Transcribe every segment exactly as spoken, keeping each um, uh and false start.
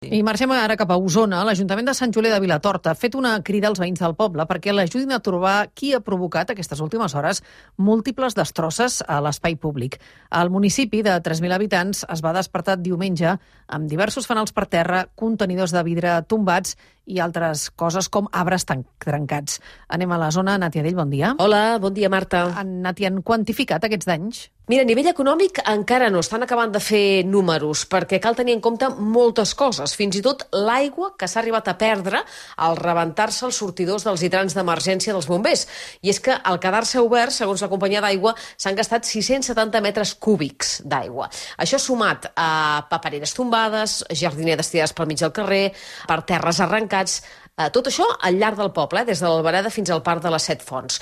I marxem ara cap a Osona. L'Ajuntament de Sant Julià de Vilatorta ha fet una crida als veïns del poble perquè l'ajudin a trobar qui ha provocat aquestes últimes hores múltiples destrosses a l'espai públic. El municipi de tres mil habitants es va despertar diumenge amb diversos fanals per terra, contenidors de vidre tombats i altres coses com arbres trencats. Anem a la zona. Nàtia Dell, bon dia. Hola, bon dia, Marta. Nàtia, han quantificat aquests danys? Mira, a nivell econòmic encara no estan acabant de fer números, perquè cal tenir en compte moltes coses, fins i tot l'aigua que s'ha arribat a perdre al rebentar-se els sortidors dels hidrants d'emergència dels bombers. I és que al quedar-se obert, segons la companyia d'aigua, s'han gastat sis-cents setanta metres cúbics d'aigua. Això sumat a papereres tombades, jardineres tirades pel mig del carrer, per terres arrencats, tot això al llarg del poble, des de l'Albereda fins al Parc de les Set Fonts.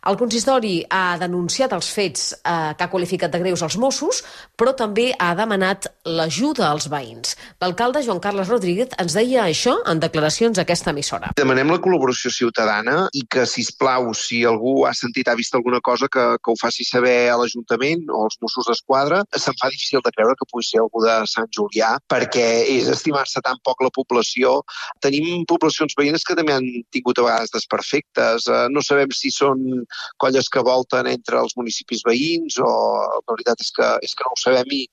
El consistori ha denunciat els fets eh, que ha qualificat de greus als Mossos, però també ha demanat l'ajuda als veïns. L'alcalde Joan Carles Rodríguez ens deia això en declaracions a aquesta emissora. Demanem la col·laboració ciutadana i que, sisplau, si algú ha sentit, ha vist alguna cosa, que, que ho faci saber a l'Ajuntament o als Mossos d'Esquadra. Se'm fa difícil de creure que pugui ser algú de Sant Julià, perquè és estimar-se tan poc la població. Tenim poblacions veïnes que també han tingut a vegades desperfectes. No sabem si són colles que volten entre els municipis veïns o la veritat és que, és que no ho sabem i,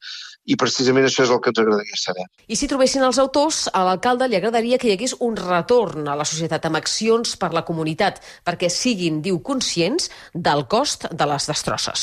i precisament això és el que ens agradaria saber. I si trobessin els autors, a l'alcalde li agradaria que hi hagués un retorn a la societat amb accions per la comunitat, perquè siguin, diu, conscients del cost de les destrosses.